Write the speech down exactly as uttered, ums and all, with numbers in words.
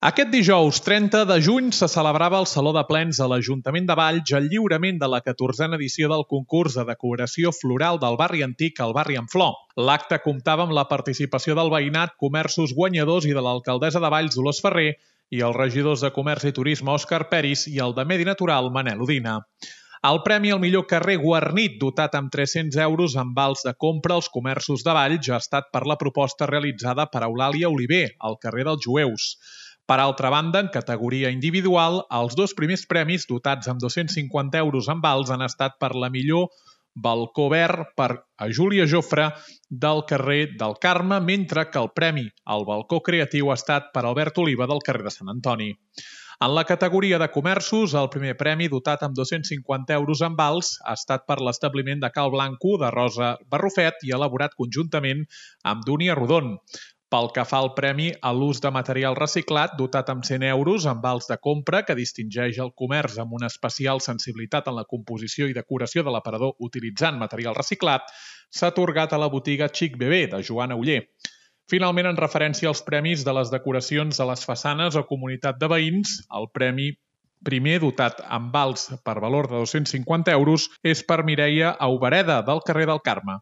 Aquest dijous trenta de juny se celebrava al Saló de Plens a l'Ajuntament de Valls el lliurament de la catorzena edició del concurs de decoració floral del barri antic al barri en flor. L'acte comptava amb la participació del veïnat, comerços guanyadors i de l'alcaldessa de Valls, Dolors Ferrer, i els regidors de Comerç i Turisme, Òscar Peris, i el de Medi Natural, Manel Udina. El premi al millor carrer guarnit, dotat amb tres-cents euros en vals de compra als comerços de Valls, ha estat per la proposta realitzada per Eulàlia Oliver, al carrer dels Jueus. Per altra banda, en categoria individual, els dos primers premis, dotats amb dos-cents cinquanta euros en vals, han estat per la millor balcó verd per a Júlia Jofre del carrer del Carme, mentre que el premi al balcó creatiu ha estat per Albert Oliva del carrer de Sant Antoni. En la categoria de comerços, el primer premi, dotat amb dos-cents cinquanta euros en vals, ha estat per l'establiment de Cal Blanco de Rosa Barrufet i elaborat conjuntament amb Dúnia Rodon. Pel que fa al premi a l'ús de material reciclat, dotat amb cent euros en vals de compra, que distingeix el comerç amb una especial sensibilitat en la composició i decoració de l'aparador utilitzant material reciclat, s'ha atorgat a la botiga Xic Bebé, de Joana Oller. Finalment, en referència als premis de les decoracions a les façanes o comunitat de veïns, el premi primer, dotat amb vals per valor de dos-cents cinquanta euros, és per Mireia Aubereda, del carrer del Carme.